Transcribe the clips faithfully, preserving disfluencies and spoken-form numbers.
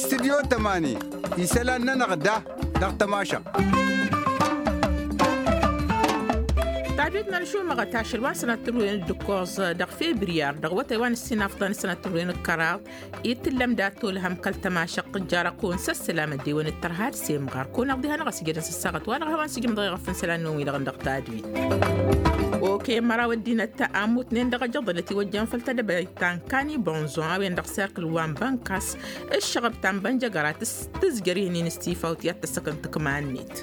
Studyo tămani isălan-nănăɣ da dăɣ-tămašăɣt. Tadwit n-ălšumăɣăt ašăl wa n-sănăt tǝmrǝwen d-ǝkkoẓ dăɣ-febriyar dăɣ-wătay wa n-ǝssin afḍăn sănăt tǝmrǝwen d-kăraḍ. Itǝllăm dat-olhăm kăl-tămašăɣt tǝjjarăɣ kăwăn s-ăssălam ăddewăn d-tărha d-semɣar kăwăn-aɣ diha-năɣ ăsjădăn s-ăssaɣăt wa dăɣ-ehăwan s-ijmǝḍ ɣef n-isălan-năwăn wi-dăɣ dăɣ-tadwit. Okăyăn măraw ăddinăt a ămmutnen dăɣ-ajăḍăn ătiwăjjăn făll-tedăbăyt ta n-kani bonzon a-wen dăɣ-serkǝl wa n-bănkas. Ǝššăɣăb ta n-bănjăgăra tǝzjăr ihǝnnin s-tifawt i-ad-tăssăkăn tǝkma-net.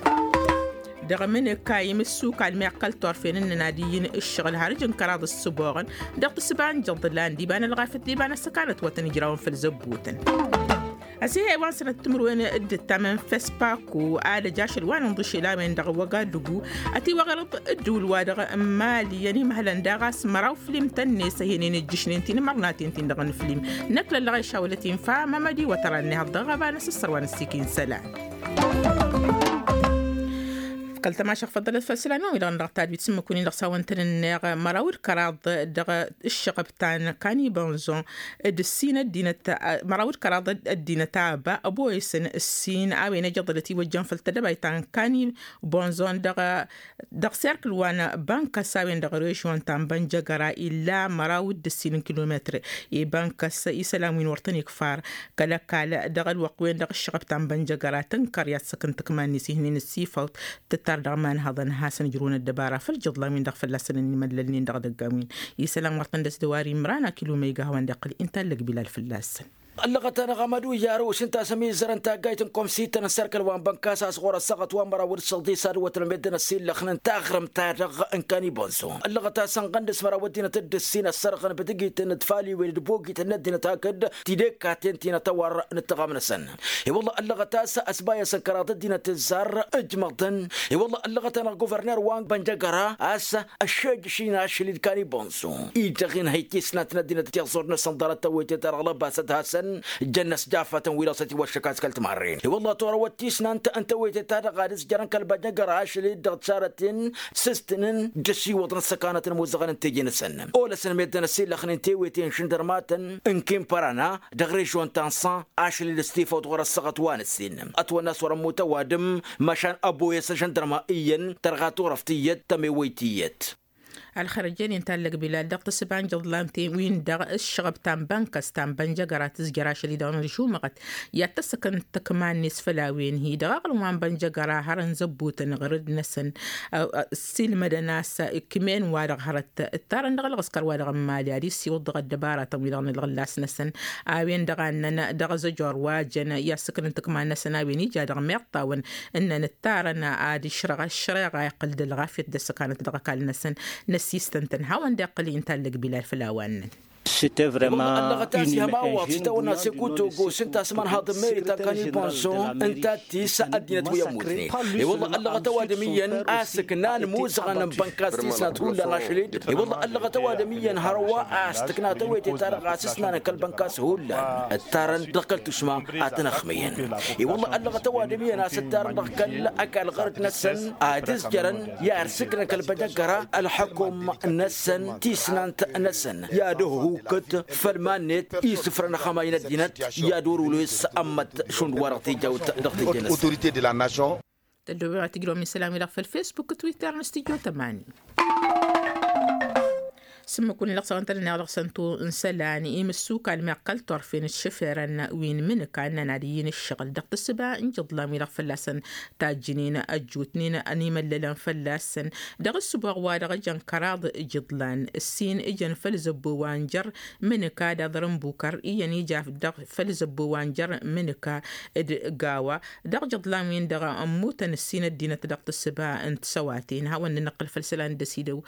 Dăɣ-mǝnǝka imǝssukal meɣ kăl-torfen ǝnnăn ad-iyyǝn ǝššăɣǝl har ǝjǝn kăraḍ ǝssǝboɣăn dăɣ-tǝsba n-jăḍlan d-iba n-ălɣafyăt d-iba n-ăssăkanăt wa tăn-ǝjrawăn făll-zăbbutăn. Ăsihăy wa n-sănăt timǝrwen d-ǝttamăn fespaku ad-ăj ašăl wa n-inḍǝšel a-wen dăɣ-wăgadugu ătiwăɣrăḍ ǝddǝwǝl-wa-dăɣ n-mali i-ănimhălăn daɣ a-s măraw flim tăn-net ăhenen ǝjjǝšnen tinǝmărnaten-tin-dăɣ n-flim. Năkk lăllăɣ ešawălăt infa mămădi wătăra n-ehăḍ dăɣ-ɣăba n-asǝssăr wa n-ăssikin isălan. Kăl-tămašăɣ făḍălăt făll-isălan wa wi-dăɣ n-dăɣ tadwit s-ǝmmǝk-win-dăɣ s-a-wăn tăn-ǝnneɣ măraw d-kăraḍ dăɣ-ǝššăɣăb ta n-kani bonzon d-ǝssin ăddinăt măraw d-kăraḍ ăddinăt aba ăboyăsăn ǝssin a-wen ejăḍălăt iwăjjăn făll-tedăbayt ta n-kani bonzon dăɣ-serkǝl wa n-bănkăs a-wen dăɣ-režion ta n-bănjăgăra illa măraw d-ǝssin n-kilometr. I-bănkăs isălan wi n-wăr tăn-ikfar kăl-ăkall dăɣ-ălwăqq-wen-dăɣ ǝššăɣăb ta n-bănjăgăra tǝnkăr i-ad-săkăn tǝkma-net ihnen ǝssifawt tǝttar dăɣ-imanhăḍăn ad-hasăn-ǝjrǝwăn ăddăbara făll-jăḍlan-win-dăɣ fălla-săn ănimăllălnen dăɣ-idăggan-win. Isălan wăr tăn-dăs dăwar imran akilumăyga a hawăn-dd-iqqǝl inta ăllăg bilal fălla-săn. Ăllăɣăt-anăɣ amădu i-arǝw s-ǝnta a-s ămizărăn taggayt n-komsităn n-serkăl wa n-bănkas a-s ɣur-ăssaɣăt wa n-măraw d-săḍis ad-wătăn meddǝn ăsillăxnen taɣrǝmt-ta-dăɣ n-kani bonso. Ăllăɣăt-as ănɣăndǝs măraw ăddinăt dd-ǝssin ăssărɣăn bǝdǝgităn d-faliwen d-bogităn n-ăddinăt hakd tidekkaten ti n-atăwar n-ǝttăɣam-năsăn. I-wălla ăllăɣăt-as ăsbayăsăn kăraḍ ăddinăt ǝzzar ǝjmăḍăn. I-wălla ăllăɣăt-anăɣ guverner wa n-bănjăgăra a-s ăššejjăš-in ašăl-i d-kani bonso. Idăɣ-in hăy tisnant n-ăddinăt tiẓẓurt-năsăn ḍarăt tăwwăyte-ta-dăɣ lăbasăt hasăn jăn-năsjafătăn wi-dăɣ s-ătiwăššăk a-s kăl-timarren i-wălla torăwăt tisnant n-tăwwăyte-ta-dăɣ ad-ǝzjărăn kăl-bănjăgăra ašăl-i dd-dăɣ-t sarăt-in s-ǝstǝnăn d-ăsiwăḍăn s-ăkanăt n-imuzăɣăn n-teje-năsăn. Olăsăn meddǝn ăsillăxnen tewwăyte n-išǝndărmatăn n-kinpărana dăɣ-režion ta n-san ašăl-i d-ăstifăwt ɣur-ăssăɣăt wa n-ǝssin ătwănna a-s wăr-ămmut ăwadǝm. Măšan ăboyăs ažăndărma iyyăn tărɣa turăft iyyăt tămewăyt iyyăt. Ălxărăjăn-in tallăg bilal dăɣ-tǝssǝba n-jăḍlan-ten-win-dăɣ ǝššăɣăb ta n-bănkăs ta n-bănjăgăra tǝzjăr ašăl-i dăɣ-nǝžumăɣăt i-ad-tăssăkăn tǝkma-net făll-a-wen-hi dăɣ-aɣrǝm wa n-bănjăgăra hărăn zăbbutăn ɣărăd-năsăn. Ăssiilmădăn a-s ǝkmen-wa-dăɣ hărăt ǝttarăn dăɣ-ălɣǝskăr-wa-dăɣ n-imali ad-issiwǝḍ dăɣ-ăddăbaratăn-wi-dăɣ n-ǝlɣǝllas-năsăn. A-wen-dăɣ a ǝnnăn dăɣ-azăjor wa jăn i-ad-sǝknăn tǝkma-năsăn a-wen ija dăɣ-meɣ tawăn ǝnnăn ǝttarăn ad-išrăɣ ăššăreɣa iqqǝl d-ălɣafyăt d-ăssăkanăt dăɣ-ăkall-năsăn. Năssistăn-tăn hawăn-dd-iqqǝl inta ăllăg bilal făll-a-wa ǝnnăn. Ăsiwăḍ ăllăɣăt a-s ihăma waḍ s-itawănna sekuto gosǝn tasmăn haḍ n-meri ta n-kani bonso ǝnta d-tis ăddinăt wi ămmutnen. I-wălla ăllăɣăt ăwadǝm iyyăn a-s ǝknan imuzăɣăn n-bănkas tisnat hullan ašăl-i-dd. I-wălla ăllăɣăt ăwadǝm iyyăn hărwa a-s tǝkna tewăyte-ta-dăɣ a-s ǝsnanăn kăl-bănkas hullan ǝttarăn dăɣ-kăl-tušma. Ad-tăn-ăxmǝyăn i-wălla ăllăɣăt ăwadǝm iyyăn a-s ǝttarăn dăɣ-kăl-ăkall ɣărăt-năsăn ad-ǝzjărăn i-ad-sǝknăn kăl-bănjăggăra ălxukum-năsăn tisnant-năsăn i-ad-ăhhukăt făll-iman-net isǝfrăn ăxămay n-ăddinăt i-ad-orul wi s-ămmăt šund wa dăɣ-tijawt dăɣ-tijănăs. Tăddoobem ad-tǝjrăwăm isălan-wi-dăɣ făll-facebook twitter n-studyo tămani. S-ǝmmǝk-win-dăɣ s-a-wen tănăneɣ dăɣ-săn-tu n-isălan imǝssukal meɣ kăl-torfen d-išǝferăn wi n-imǝnǝka ǝnnăn ad-iyyǝn ǝššăɣǝl dăɣ-tǝssǝba n-ijǝḍlan-wi-dăɣ fălla-săn tajjǝnen ăjjutnen ănimăllălăn fălla-săn. Dăɣ-ǝssǝboɣ wa dăɣ-ǝjăn kăraḍ ijǝḍlan ǝssin ǝjăn făll-zăbbo wa n-jer-imǝnǝka d-aḍrǝnbukăr iyyăn ija dăɣ-făll-zăbbo wa n-jer-imǝnǝka d-gawa. Dăɣ-ijǝḍlan-win-dăɣ ămmutăn ǝssin ăddinăt dăɣ-tǝssǝba n-tisăwaten hawăn-nǝnăqqǝl făll-isălan d-ăsidăw.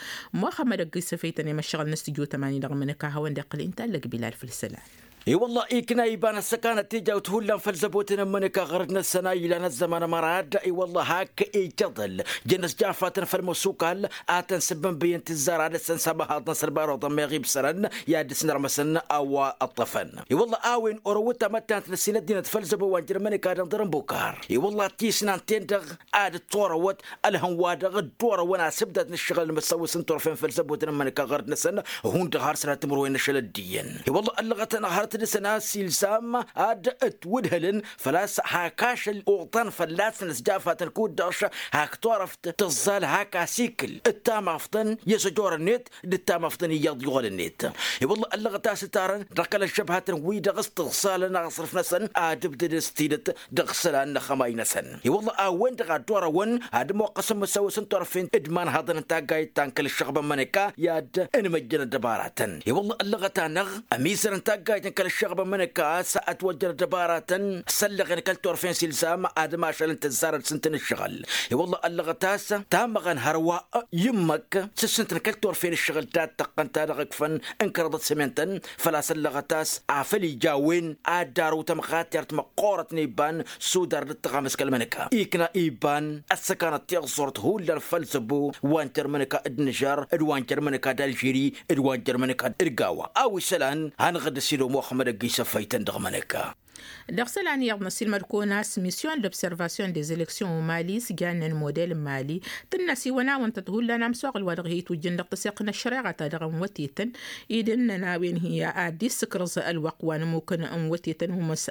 Muxămmăd ăgg-isăfăytăn i-măššăɣǝl n-studyo tămani dăɣ-imǝnǝka hawăn-dd-iqqǝl inta ăllăg bilal făll-isălan. I-wălla ikna iba n-ăssăkanăt tijawt hullan făll-zăbotăn n-imănăka ɣărăt n-ăssăna ilan ăzzăman ămăra ad-i-wălla hak ijăḍăl jăn-ăsjafatăn făll-măsukal. Ad-tăn-sǝbbǝnbǝyăn tǝzzar ad-ăssăn s-amăhaḍ n-asălbar oḍăn meɣ ibsărăn i-ad-dăr-s n-ărmăsăn a-wa ăṭṭăfăn. I-wălla a-wen orăwăt amăttant n-ăssinăt dinăt făll-zăbo wa n-jărmănăka dăɣ-dăr n-bukar. I-wălla tisnan-ten-dăɣ ad-dd-torăwăt ălhăn wa dăɣ-dd-orăwăn asǝbdat n-ǝššăɣǝl n-imǝssăwǝs n-turfen făll-zăbotăn n-imănăka ɣărăt-năsăn. Hundăɣ har sănat timǝrwen n-ašăl ăddiyăn i-wălla ăllăɣăt-anăɣ har tǝdǝsăn a-s ilzam ad-ǝtwǝdhǝlăn făl-a-s hak ašăl oḍăn fălla-săn ăsjafatăn kud-dăɣ hak turăft tǝẓẓal hak asikǝl d-tamafḍăn i-săjorăn-net d-tamafḍăn iyyăḍ yuɣălăn-net. I-wălla ăllăɣăt a-s ǝtarăn dăɣ-kăl-ăššăbhatăn-wi-dăɣ s-tǝẓẓalăn aɣsrǝf-năsăn ad-ǝbdǝd s-tidǝt dăɣ-isălan n-ăxxămay-năsăn. I-wălla a-wen-dăɣ a dd-orăwăn ad-ămoqqăsăn imǝssăwăs n-turfen d-imanhaḍăn n-taggayt ta n-kăl-ǝššăɣbăn n-imănăka i-ad-ănmăjjăn ăddăbaratăn. I-wălla ăllăɣăt-anăɣ ămizăr n-taggayt n-kăl-ǝššăɣbăn n-imănăka a-s ătwăjjăn ăddăbaratăn s-ăllăɣen kăl-turfen s-ilzam ad-ămašălăn tǝzzarăt s-ǝntăn ǝššăɣǝl. I-wălla ăllăɣăt a-s tamăɣăn hărwa i-ǝmmǝk s-ǝssǝntăn kăl-turfen ǝššăɣǝl ta t-tăqqăn ta dăɣ-ǝkfăn n-kăraḍăt s-emen-tăn. Făl-a-s ăllăɣăt a-s afăl ija a-wen ad-dd-arǝw tamɣatert măqqoorăt n-iba n-sudar d-ǝttăɣam s-kăl-mănăka ikna iba n-ăssăkanăt tiẓẓurt hullan făll-zăbo wa n-jărmănăka d-nǝžar d-wa n-jărmănăka d-alžiri d-wa n-jărmănăka d-gawa a-wa isălan. Hanăɣ-dd-ăsidom muxămmăd ăgg-isăfăytăn dăɣ-mănăka. Dăɣ-isălan iyyăḍ năssiilmăd-kăwăn a-s misyon d-observasyon des eleksyon n-mali s-jannen model n-mali tǝnn'-as iwăn-awăn-tăt hullan amsoɣǝl wa dăɣ-hi-itwǝjjăn dăɣ-tăseɣt n-ăššăreɣăt a dăɣ-ănwătetăn. Ed ǝnnăn a-wen hi-ad-dd-issǝkrǝẓ ălwăqq wa n-ămmukăn n-wătetăn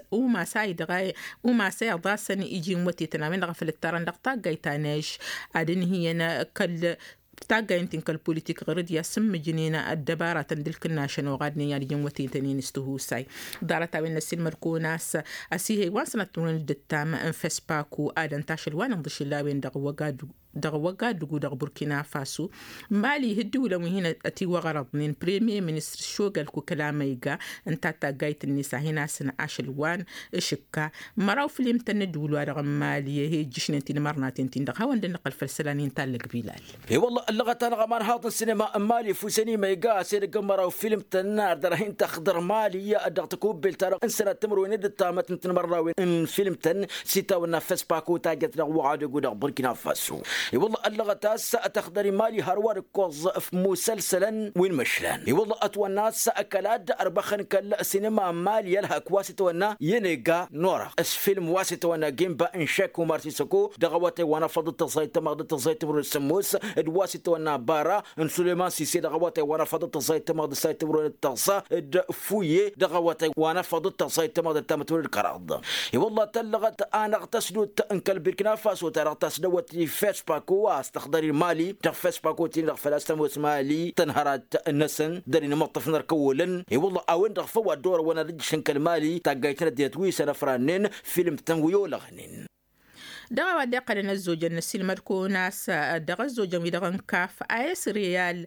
umas a iḍasăn iji n-wătetăn a-wen-dăɣ a făl ǝttarăn dăɣ-taggayt ta n-ež ad-ǝnhǝyăn kăl-taggayt n-ti n-kăl-politik ɣur-dd i-ad-sǝmmǝjnen ăddăbaratăn d-ǝlkǝnnašăn oɣadnen i-ad-ǝjǝn wătetăn-in s-tihusay. Ḍarăt-a-wen n-ăssiilmăd-kăwăn a-s ăsihăy wa n-sănăt timǝrwen d-ǝttam n-fespaku ad-ănta ašăl wa n-inḍǝšǝl a-wen-dăɣ wăgadug dăɣ-wăgadug dăɣ-burkina faso. Mali ihǝddiwǝlăn wi hin-ătiwăɣrăḍnen premier ministăr šogălku kăla ma iga ǝnta taggayt-net a hin-asǝn ašăl wa n-ašǝkka. Măraw fǝll-imtăn n-ǝddǝwǝl-wa-dăɣ n-mali ăhejjǝšnen tinmărnaten-tin-dăɣ hawăn-dd-nǝqqăl făll-isălan-in tallăg bilal. I-wălla ăllăɣăt-anăɣ ămanhaḍ n-sinema n-mali fu sănima iga a-s edăgg n-măraw fǝll-imtăn ar dăr-hin-tăxdăr mali dăɣ-tăkubbelt-ta-dăɣ n-sănat timǝrwen d-ǝttamăt n-tinmărnawen n-fǝll-imtăn s-itawănna făspaku tajjăt dăɣ-wăɣadăgu dăɣ-burkina faso. I-wălla ăllăɣăt a-s tăxdăr-i mali hărwa d-ǝkkoẓ f-musălsălăn wi n-imǝšlan i-wălla ătwănna a-s ăkall ad-ărbăxăn kăl-sinema n-mali ălhăk wa s-itwănna yenega n-orăɣ s-film wa s-itwănna gimba n-šek umar sisăko dăɣ-awătay wa n-afăḍ d-tăẓẓayt tămaɣ d-tăẓẓayt timǝrwen d-sǝmmos d-wa s-itwănna bara n-suleman sise dăɣ-awătay wa n-afăḍ d-tăẓẓayt tămaɣ d-tăẓẓayt timǝrwen d-tăẓẓa d-fuye dăɣ-awătay wa n-afăḍ d-tăẓẓayt tămaɣ d-ăttamăt wăr-dd-kăraḍ. I-wălla tăllăɣăt anăɣ-tăsdut n-kăl-birkina faso ta dăɣ-tasdăwăt i-fespako a-s tăxdăr-i mali dăɣ-fespako-tin-dăɣ făl-a-s tămoos mali tănhărat-năsăn dăr-inmăṭṭăf n-ărkăwolăn. I-wălla a-wen-dăɣ făw a dd-orăwăn ad-ǝjjǝšăn kăl-mali taggayt n-ăddinăt wi săn ăfrannen film-tăn wi olăɣnen. Dăɣ-a-wa dd-iqqălăn ăzzojăn n-ăssiilmăd-kăwăn a-s dăɣ-ăzzojăn-wi-dăɣ n-kaf a s-reyal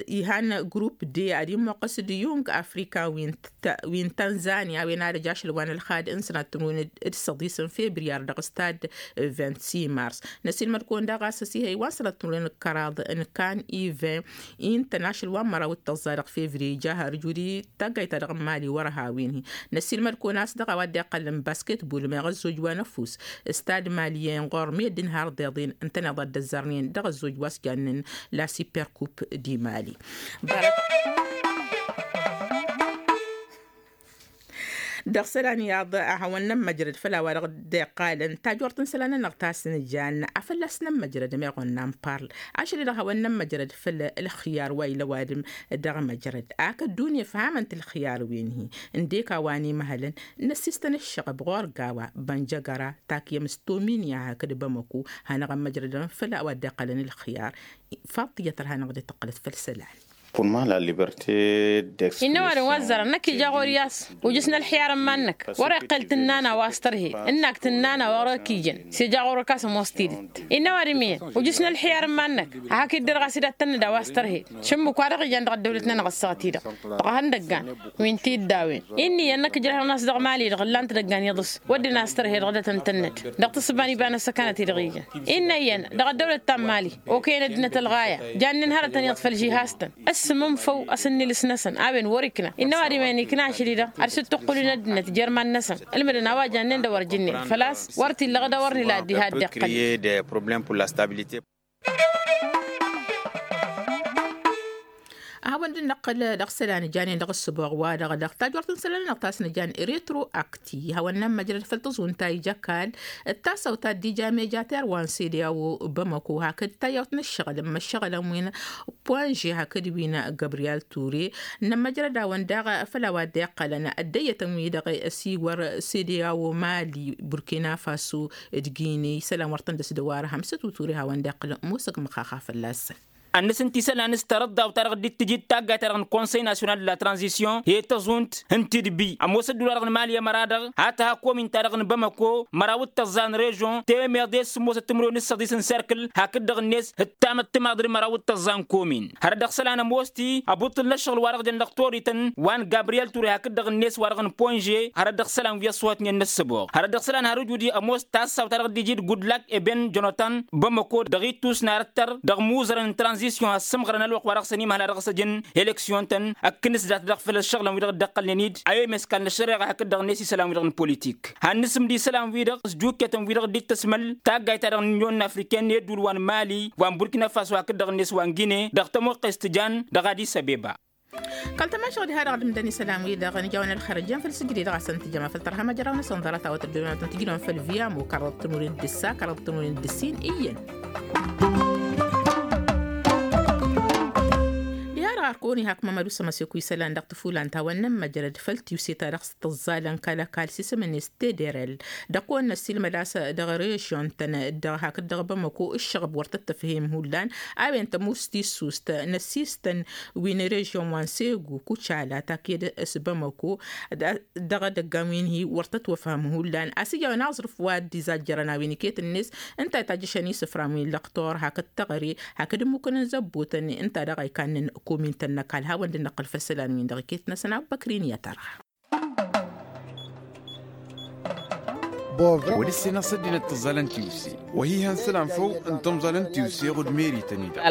ihan grup de ad-immoqqăs d-yung afrika wi n-tanzania a-wen ad-ăj ašăl wa n-ălxad n-sănat timǝrwen d-săḍis n-febriyar dăɣ-stad vint-six mars. Năsiilmăd-kăwăn daɣ a-s ăsihăy wa n-sănat timǝrwen d-kăraḍ n-kan ivin intăn ašăl wa n-măraw d-tăẓẓa dăɣ-fevriye ija har ǝjud i-taggayt-ta-dăɣ n-mali wăr-ăhawen-hi. Năsiilmăd-kăwăn a-s dăɣ-a-wa dd-iqqălăn basket bul meɣ ăzzoj wa n-ăfuss stad maliyen ɣur-meddǝn har ḍeḍen ǝntăneḍ a dd-ăzzărnen dăɣ-ăzzoj wa s-jannen la super kup di mali. Dăɣ-isălan iyyăḍ a hawăn-nămmăjrăd făll-a-wa-dăɣ dd-iqqalăn tajort n-isălan-nănăɣ ta s-nǝjan a fălla-s nămmăjrăd meɣ wănna n-parl. Ašăl-i-dăɣ hawăn-nămmăjrăd făll-ălxiyar wa ila ăwadǝm dăɣ-măjrăd ak ăddunya ǝfhamăn-t ălxiyar wi n-hi. Ǝndek a-wa n-imhălăn năssistăn ǝššăɣăb ɣur-gawa bănjăgăra takyăm s-tominya hakd bamăko. Hanăɣ-ămmăjrădăn făll-a-wa dd-iqqălăn ălxiyar. Faḍt iyyăt ărhanăɣ-dd tăqqălăt făll-isălan. Innă ăwadǝm wa ăzzărăn năkk ija ɣur-i a-s ujǝs n-ălxiyar n-iman-năk wăr-iqqel tǝnnan a-wa s-tărhed ǝnn'-ak tǝnnan a wăr-ăkijăn s-ija ɣur-ăkk a-s ămoos tidǝt. Innă ăwadǝm iyyăn ujǝs n-ălxiyar n-iman-năk ad-hak-dd-irɣas ed ad-tănnăd a-wa s-tărhed šǝmmǝk wa dăɣ-ijan dăɣ-ăddăwlăt-nănăɣ ăssaɣăt-i-dăɣ dăɣ-ehăn idăggan wi n-tiddawen. Inn'-iyyăn năkk ǝjrăhăn a-s dăɣ-mali-dăɣ ǝllan-t idăggan iḍǝs wădden a-s tărhed dăɣ-dd-tăn-tănnăd dăɣ-tǝssǝba n-iba n-ăssăkanăt-i-dăɣ ijan. Innă iyyăn dăɣ-ăddăwlăt ta n-mali okăyăn ăddinăt ălɣaya jannen hărătăn iyyăḍ făll-žihaz-tăn. S-mǝnfăw a-s ǝnnǝlǝs-năsăn a-wen wăr-ikna innă ăwadǝm-en ikna ašăl-i-dăɣ ad-sǝttǝqqǝlǝn ăddinăt jer-iman-năsăn. Ǝlmǝdăn a-wa jannen d-ewăr jǝnnen făl-a-s wăr t-illăɣ d-ewăr nǝla dd-iha dd-iqqălăn. Ăhawăn-dd-năqqǝl dăɣ-isălan janen dăɣ-ǝssǝboɣ-wa-dăɣ dăɣ-tajwărt n-isălan-nănăɣ ta s-nǝjan retroakti hawăn-nămmăjrăd făll-tăẓunt ta ija ăkall d-tasăwt ta dd-ija mejater wa n-sede a-wo bamăko hakd tayyawt n-ǝššăɣǝl n-imăššăɣǝlăn wi n-ponže hakd wi n-gabriyal ture. Nămmăjrăd-awăn daɣ făll-a-wa dd-iqqălăn ăddăyyătăn-wi-dăɣ ăsiwăr sede a-wo mali burkina faso d-gine isălan wăr tăn-dăs-dăwar hămsăt uture hawăn-dd-iqqǝlăn ămoosăg măxaxa fălla-săn. Ănnăs ǝnta isălan s-tarăḍḍawt-ta-dăɣ dd-tǝjǝd taggayt-ta-dăɣ n-konsăy nasyonal d-la tranzisyon i-tăẓunt n-tidbi ămoosăt d-ula-dăɣ n-mali ămăra-dăɣ a tǝha komin-ta-dăɣ n-bamăko măraw d-tăẓẓa n-režyon temeḍe s-sǝmmosăt timǝrwen d-săḍis n-serkǝl hakd-dăɣ-net d-tamăḍt timaḍ d-măraw d-tăẓẓa n-komin. Hărăt dăɣ-isălan ămoos-t-i ăbuṭṭǝl n-ăššăɣǝl wa dăɣ-jăn dăɣ-torităn wa n-gabriyel ture hakd-dăɣ-net wa dăɣ-n ponže. Hărăt dăɣ-isălan wi ăṣṣuhătnen n-ăssăboɣ hărăt dăɣ-isălan har ǝjud-i ămoos tassawt ta dăɣ-dd-ijid gudlak eben jonatan bamăko dăɣ-ittus n-arăttăr dăɣ-imuzărăn n-tranzisyon ăssǝmɣărăn ălwăqq wa dăɣ-săn imhăl a dăɣ-s ăjǝn eleksyon-tăn. Ăkkǝn s-dat-dăɣ făll-ăššăɣǝlăn wi-dăɣ dd-ăqqălnen-dd a-wa imeskal n-ăššăreɣa hakd-dăɣ-net isălan-wi-dăɣ n-politik. Hannǝsǝmd isălan-wi-dăɣ s-jukketăn-wi-dăɣ dd-tăsmăl taggayt-ta-dăɣ n-unyon n-afriken n-eddul wa n-mali wa n-burkina faso hakd-dăɣ-net wa n-gine dăɣ-tămoqqest tǝjan dăɣ-adis abeba. Kăl-tămašăɣ diha-dăɣ dǝmdăn isălan-wi-dăɣ nǝjawăn ălxărăt jan făll-sǝjdǝy dăɣ-asăn tǝjăma făll-tărha măjraw-năsăn ḍarăt a-wa tăddobem ad-tăn-tǝjnăwăn făll-viamo karăḍ tămurwen d-ǝssa karăḍ tămurwen d-ǝssin iyyăn. Diha-dăɣ arkăwăn-i hak mămădu s-ămăseku isălan dăɣ-tǝfulan ta wănnăn măjrăd făll-tiwse ta dăɣ-s tǝẓẓalăn kăl-ăkall s-isǝm-net tederel. Dăɣ-kăwăn-năssiilmăd a-s dăɣ-režyon-tăn dăɣ-hakd dăɣ-bamăko ǝššăɣăb wăr tăt-tăfhem hullan a-wen tămust tissust n-ăssistăn wi n-režyon wa n-segu kucala taked s-bamăko. Dăɣ-edăggan wi n-hi wăr tăt-wăfhăm hullan a-s ija a-wen aẓrǝf wa dd-izajjărăn a-wen iket-net ǝnta a itajjăšăn isǝfran wi n-lăqtor hakd teɣăre hakd ǝmmukăn n-zăbbutăn ǝnta daɣ a ikannen komin-tăn n-ăkall hawăn-dd-năqqǝl făll-isălan-win-dăɣ iket-năsăn abbăkrin i-ad-tărha. Wăr dd-sǝnăɣ s-ăddinăt tǝẓẓalăn tiwse wăr hi-ihăn isălan făw n-tamẓalăn tiwse ɣud merităn-i-dăɣ.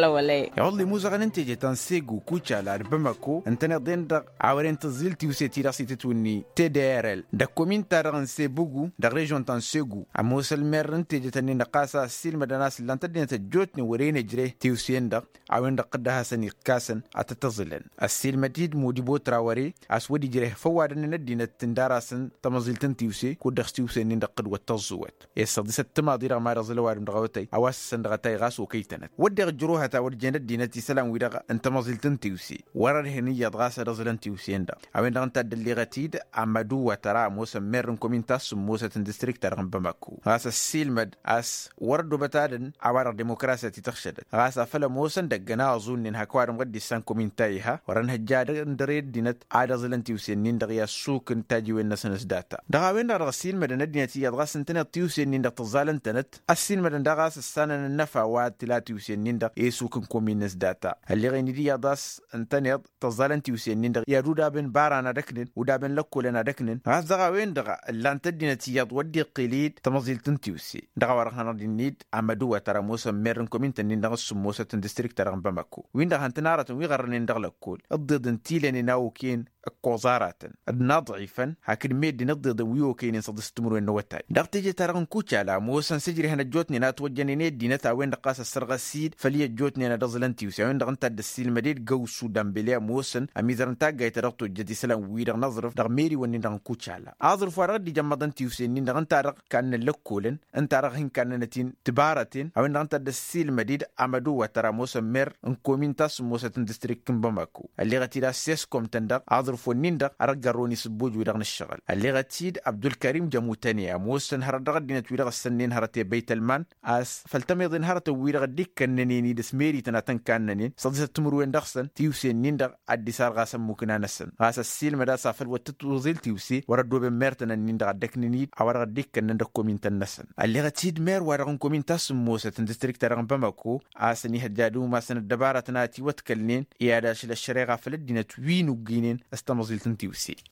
Iɣǝḍ limuzăɣăn n-teje ta n-segu kucala d-bamăko ǝntăneḍ-en-dăɣ a wăren tǝẓẓil tiwse-ti-dăɣ s-itǝtwǝnni tdrl dăɣ-komin-ta-dăɣ n-sebugu dăɣ-režyon ta n-segu ămoos ălmer n-teje-tăn-in-dăɣ ɣas a ăssiilmădăn a-s ǝllan-t ăddinăt ăjjootnen wăren ejre tiwse-en-dăɣ a-wen-dăɣ tǝdda hasăn-ikkasăn ad-tăt-ăẓǝlăn. Ăssiilmăd-dd modibo trawăre a-s wăr-dd-ijreh făw wa dăɣ-năn ăddinăt tǝndarasăn tămăẓilt n-tiwse kud-dăɣ s-tiwse-nin-dăɣ tǝdwăt tăẓẓuwăt. Issăḍisăt timaḍi-dăɣ ma dăɣ-zăl ăwadǝm dăɣ-awătay a-wa s-săn dăɣ-ătay ɣas okăy-tănăt wădden ǝjrăwhăt a wăr jen ăddinăt isălan-wi-dăɣ n-tamăẓilt n-tiwse wăr-ărhen iyyăḍ ɣas ad-ăẓǝlăn tiwse-in-dăɣ. A-wen-dăɣ ǝnta a dd-ălleɣăt-dd amăduwăt ăra ămoosăn merr n-komin ta s-sǝmmosăt n-distrikt-ta-dăɣ n-bamako ɣas ăssiilmăd a-s wăr ăddobăt ad-ǝnn a-wa-dăɣ demokrasya ti tăɣšădăt ɣas afăl ămoosăn dăgg-ănaẓu-nin hak ăwadǝm ɣur-dd-issan komin ta iha wăr-ănhăjja ad-ăndăre ăddinăt ad-ăẓǝlăn tiwse-nin-dăɣ i-ad-sukǝn tajiwen-năsăn s-data. Dăɣ-a-wen-dăɣ dăɣ-ăssiilmădăn ăddinăt iyyăḍ ɣas ǝntăneḍ tiwse-nin-dăɣ tǝẓẓalăn-tănăt ăssiilmădăn daɣ a-s ǝssanăn ănnăfa wa tǝla tiwse-nin-dăɣ i-sukǝn komin-năs data. Ălleɣ-in-dd iyyăḍ a-s ǝntăneḍ tăẓẓalăn tiwse-nin-dăɣ i-ad-udabăn bara n-ad-ăknǝn udabăn lăkkolăn ad-ăknǝn ɣas dăɣ-a-wen-dăɣ ǝllan-t ăddinăt iyyăḍ wăr dd-iqqǝl-dd tămăẓilt n-tiwse. Dăɣ-a-wa-dăɣ hanăɣ-dd-innă-dd amăduwăt ăra ămoosăn merr n-komin-tăn-in-dăɣ s-sǝmmosăt n-distrikt-ta-dăɣ n-bamako-win-dăɣ han-tăn-aratăn wi ɣărrănen dăɣ-lăkkol ǝḍḍeḍ n-tilănen a okăyăn ǝkkoẓ aratăn d-inaḍɣifăn hakd meddǝn ǝḍḍeḍăn wi okăynen săḍis timǝrwen n-awătay. Dăɣ-teje-ta-dăɣ n-kucala ămoosăn s-ăjrehăn ăjjootnen a ătwăjjănen i-ăddinăt a-wen-dăɣ ɣas ăssărɣăs-dd făll-i ăjjootnen ad-ăẓǝlăn tiwse a-wen-dăɣ ǝnta a dd-ăssiilmăd-dd găwsu dămbele ămoosăn ămizăr n-taggayt ta dăɣ-tojjăt isălan-wi-dăɣ n-aẓrǝf dăɣ-meriwăn-nin-dăɣ n-kucala. Aẓrǝf wa dăɣ-dd-ijămmăḍăn tiwse-nin-dăɣ ǝnta a dăɣ-kannăn lăkkolăn ǝnta a dăɣ-hin-kannănăt-in tibaraten a-wen-dăɣ ǝnta a dd-ăssiilmăd-dd amăduwăt ăra ămoosăn mer n-komin ta s-ămoosăt n-distrikt n-bamako. Ălleɣăt-dd a-s s-eskom-tăn-dăɣ aẓrǝf-wǝnnin-dăɣ a dăɣ-gărrăwăn isǝbbuj-wi-dăɣ n-ǝššăɣǝl ălleɣăt-dd abdulkarim jămutăne ămoosăn hărăt dăɣ-ăddinăt-wi-dăɣ ǝssănnen hărăt i-băytălman a-s făll-tămeḍen hărătăn-wi-dăɣ dd-ikkănnănen-dd s-merităn ad-tăn-kannănen săḍisăt timǝrwen dăɣ-săn tiwse-nin-dăɣ ad-dd-isar ɣas ămmukna-năsăn ɣas ăssiilmăd a-s afăl wăr tǝtwăẓil tiwse wăr-ăddooben mertăn-nin-dăɣ ad-ăknǝn-dd a-wa-dăɣ dd-ikkănnăn dăɣ-komin-tăn-năsăn. Ălleɣăt-dd mer-wa-dăɣ n-komin ta s-ǝmmosăt n-distrikt-ta-dăɣ n-bamako a-s ănihăjja ad-umasăn ăddăbarătăn a ătiwătkălnen i-ad-ašăl ăššăreɣa făll-ăddinăt wi n-ugginen s-tamăẓilt n-tiwse.